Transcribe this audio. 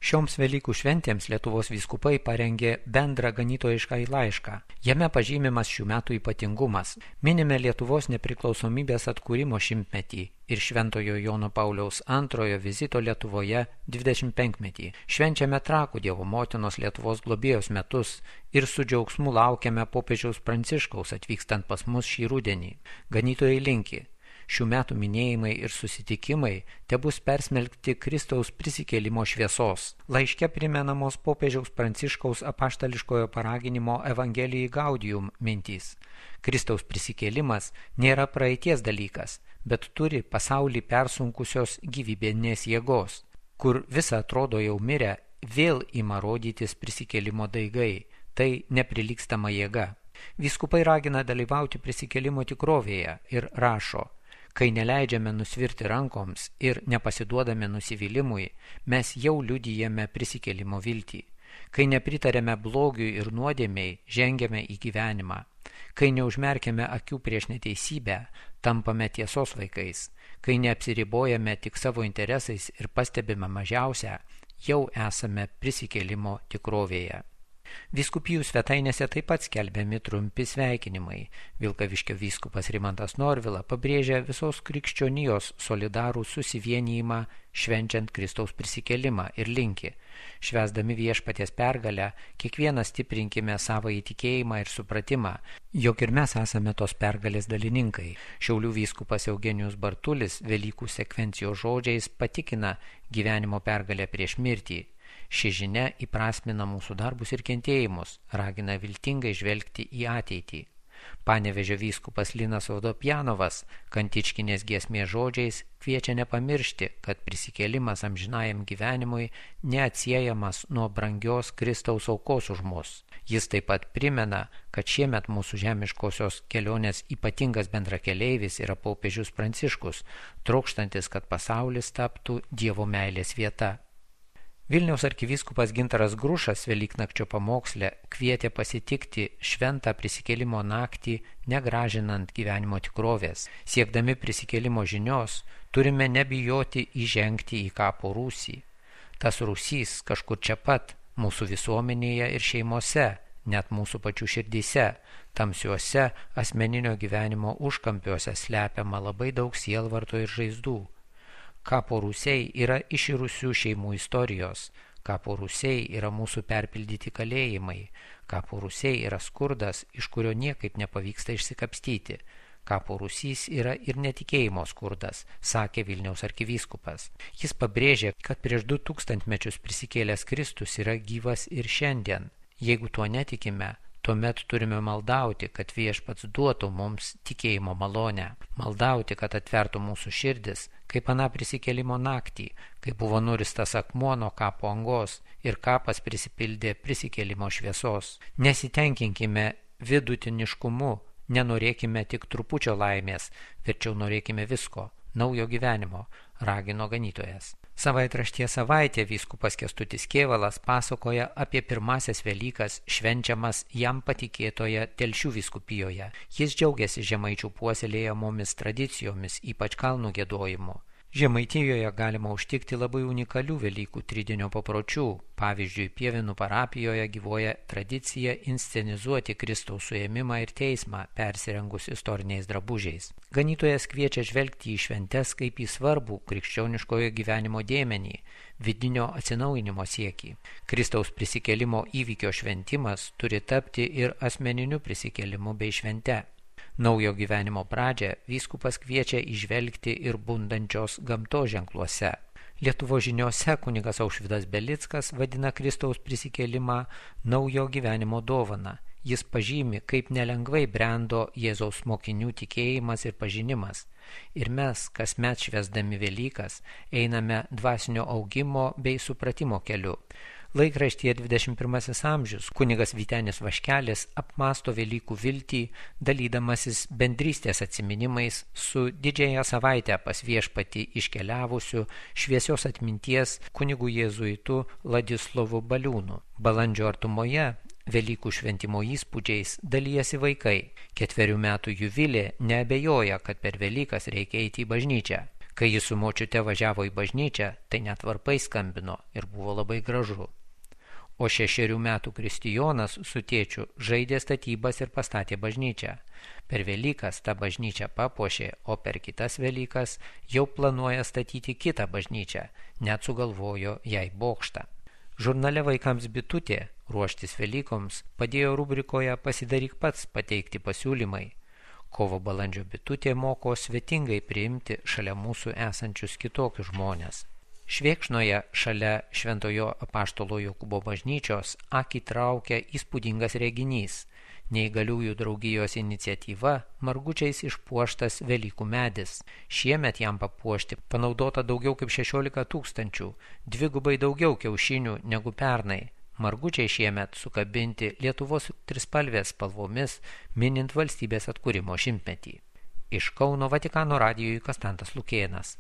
Šioms Velykų šventėms Lietuvos vyskupai parengė bendrą ganytojišką laišką. Jame pažymimas šių metų ypatingumas. Minime Lietuvos nepriklausomybės atkūrimo 100-metį ir Šventojo Jono Pauliaus II vizito Lietuvoje 25-metį. Švenčiame Trakų Dievo motinos Lietuvos globėjos metus ir su džiaugsmu laukiame popiežiaus Pranciškaus atvykstant pas mus šį rudenį. Ganytojai linki. Šių metų minėjimai ir susitikimai tebus persmelkti Kristaus prisikėlimo šviesos. Laiške primenamos popiežiaus Pranciškaus apaštališkojo paraginimo Evangelijai Gaudium mintys. Kristaus prisikėlimas nėra praeities dalykas, bet turi pasaulį persunkusios gyvybinės jėgos, kur visa atrodo jau mirę, vėl ima rodytis prisikėlimo daigai. Tai neprilygstama jėga. Vyskupai ragina dalyvauti prisikėlimo tikrovėje ir rašo: kai neleidžiame nusvirti rankoms ir nepasiduodame nusivylimui, mes jau liudijame prisikėlimo viltį. Kai nepritarėme blogiui ir nuodėmei, žengiame į gyvenimą. Kai neužmerkiame akių prieš neteisybę, tampame tiesos vaikais. Kai neapsiribojame tik savo interesais ir pastebime mažiausią, jau esame prisikėlimo tikrovėje. Vyskupijų svetainėse taip pat skelbiami trumpi sveikinimai. Vilkaviškio vyskupas Rimantas Norvila pabrėžia visos krikščionijos solidarų susivienijimą švenčiant Kristaus prisikėlimą ir linki: švęsdami Viešpaties pergalę, kiekvienas stiprinkime savo įtikėjimą ir supratimą, jog ir mes esame tos pergalės dalininkai. Šiaulių vyskupas Eugenijus Bartulis Velykų sekvencijos žodžiais patikina gyvenimo pergalę prieš mirtį. Ši žinia įprasmina mūsų darbus ir kentėjimus, ragina viltingai žvelgti į ateitį. Panevėžio vyskupas Linas Vodopjanovas Kantičkinės giesmės žodžiais kviečia nepamiršti, kad prisikėlimas amžinajam gyvenimui neatsiejamas nuo brangios Kristaus aukos už mus. Jis taip pat primena, kad šiemet mūsų žemiškosios kelionės ypatingas bendrakeleivis yra popiežius Pranciškus, trokštantis, kad pasaulis taptų Dievo meilės vieta. Vilniaus arkivyskupas Gintaras Grušas Velyknakčio pamoksle kvietė pasitikti šventą prisikėlimo naktį negražinant gyvenimo tikrovės. Siekdami prisikėlimo žinios, turime nebijoti įžengti į kapo rūsį. Tas rūsys kažkur čia pat, mūsų visuomenėje ir šeimose, net mūsų pačių širdyse, tamsiuose asmeninio gyvenimo užkampiuose slepiama labai daug sielvarto ir žaizdų. Kapo rūsiai yra iširusių šeimų istorijos, kapo rūsiai yra mūsų perpildyti kalėjimai, kapo rūsiai yra skurdas, iš kurio niekaip nepavyksta išsikapstyti. Kapo rūsys yra ir netikėjimo skurdas, sakė Vilniaus arkivyskupas. Jis pabrėžė, kad prieš 2000 mečius prisikėlęs Kristus yra gyvas ir šiandien. Jeigu tuo netikime, tuomet turime maldauti, kad Viešpats duotų mums tikėjimo malonę. Maldauti, kad atvertų mūsų širdis, kaip aną prisikėlimo naktį, kai buvo nuristas akmuo nuo kapo angos ir kapas prisipildė prisikėlimo šviesos. Nesitenkinkime vidutiniškumu, nenorėkime tik trupučio laimės, verčiau norėkime visko, naujo gyvenimo, ragino ganytojas. Savaitraštyje Savaitė vyskupas Kęstutis Kėvalas pasakoja apie pirmasias Velykas švenčiamas jam patikėtoje Telšių vyskupijoje. Jis džiaugiasi žemaičių puoselėjamomis tradicijomis, ypač kalnų giedojimu. Žemaitijoje galima užtikti labai unikalių Velykų tridienio papročių. Pavyzdžiui, Pievinų parapijoje gyvuoja tradicija inscenizuoti Kristaus suėmimą ir teismą, persirengus istoriniais drabužiais. Ganytojas kviečia žvelgti į šventes kaip į svarbų krikščioniškojo gyvenimo dėmenį, vidinio atsinaujinimo siekį. Kristaus prisikėlimo įvykio šventimas turi tapti ir asmeniniu prisikėlimu bei švente. Naujo gyvenimo pradžią vyskupas kviečia įžvelgti ir bundančios gamtos ženkluose. Lietuvos žiniose kunigas Aušvydas Belickas vadina Kristaus prisikėlimą naujo gyvenimo dovana. Jis pažymi, kaip nelengvai brendo Jėzaus mokinių tikėjimas ir pažinimas. Ir mes, kasmet švęsdami Velykas, einame dvasinio augimo bei supratimo keliu. Laikraštyje 21 amžius kunigas Vytenis Vaškelis apmąsto Velykų viltį, dalydamasis bendrystės atsiminimais su Didžiąją savaitę pas Viešpatį iškeliavusiu šviesios atminties kunigu jėzuitu Ladislovu Baliūnu. Balandžio artumoje Velykų šventimo įspūdžiais dalijasi vaikai. 4 metų Juvilė neabejoja, kad per Velykas reikia eiti į bažnyčią. Kai jis su močiute važiavo į bažnyčią, tai net varpai skambino ir buvo labai gražu. O 6 metų Kristijonas su tėčiu žaidė statybas ir pastatė bažnyčią. Per Velykas tą bažnyčią papuošė, o per kitas Velykas jau planuoja statyti kitą bažnyčią, net sugalvojo jai bokštą. Žurnale Vaikams bitutė ruoštis Velykoms padėjo rubrikoje Pasidaryk pats pateikti pasiūlymai. Kovo-balandžio bitutė moko svetingai priimti šalia mūsų esančius kitokius žmonės. Švėkšnoje šalia Šventojo apaštalo Jokūbo bažnyčios akį traukia įspūdingas reginys. Neįgaliųjų draugijos iniciatyva margučiais išpuoštas Velykų medis. Šiemet jam papuošti panaudota daugiau kaip 16 000, dvigubai daugiau kiaušinių negu pernai. Margučiai šiemet sukabinti Lietuvos trispalvės spalvomis, minint valstybės atkūrimo 100-metį. Iš Kauno Vatikano radijui Konstantas Lukėnas.